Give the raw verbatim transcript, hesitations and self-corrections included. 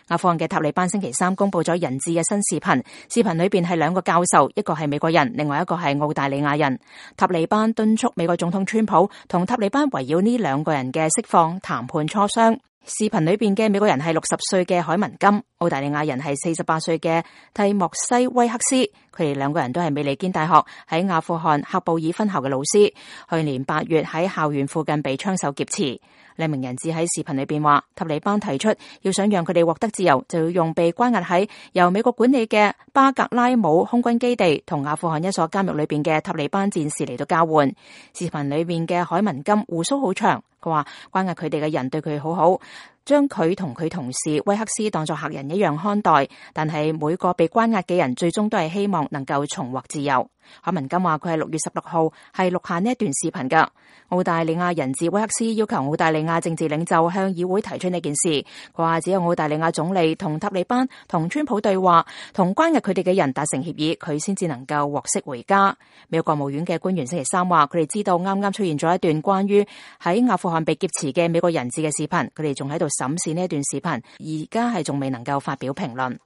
阿富汗嘅塔利班星期三公布咗人質嘅新視頻，視頻裏邊係兩個教授，一個係美國人，另外一個係澳大利亞人。塔利班敦促美國總統川普同塔利班圍繞呢兩個人嘅釋放談判磋商。視頻裏邊嘅美國人係六十歲嘅海文金，澳大利亞人係四十八歲嘅蒂莫西威克斯，佢哋兩個人都係美利堅大學喺阿富汗喀布爾分校嘅老師，去年八月喺校園附近被槍手劫持。兩名人質喺視頻裏邊話，塔利班提出要想讓佢哋獲得自由，就要用被關押喺由美國管理嘅巴格拉姆空軍基地同阿富汗一所監獄裏邊嘅塔利班戰士嚟到交換。視頻裏邊嘅海文金鬍鬚好長，佢話關押佢哋嘅人對佢好好，將佢同佢同事威克斯當作客人一樣看待，但係每個被關押嘅人最終都係希望能夠重獲自由。海文金話佢係六月十六號係錄下呢一段視頻噶。澳大利亞人質威克斯要求澳大利亞政治領袖向議會提出呢件事，佢話只有澳大利亞總理同塔利班同川普對話，同關押佢哋嘅人達成協議，佢先至能夠獲釋回家。美國國務院嘅官員星期三話，佢哋知道啱啱出現咗一段關於喺阿富汗被劫持嘅美國人質嘅視頻，佢哋仲喺度審視呢一段視頻，而家係仲未能夠發表評論。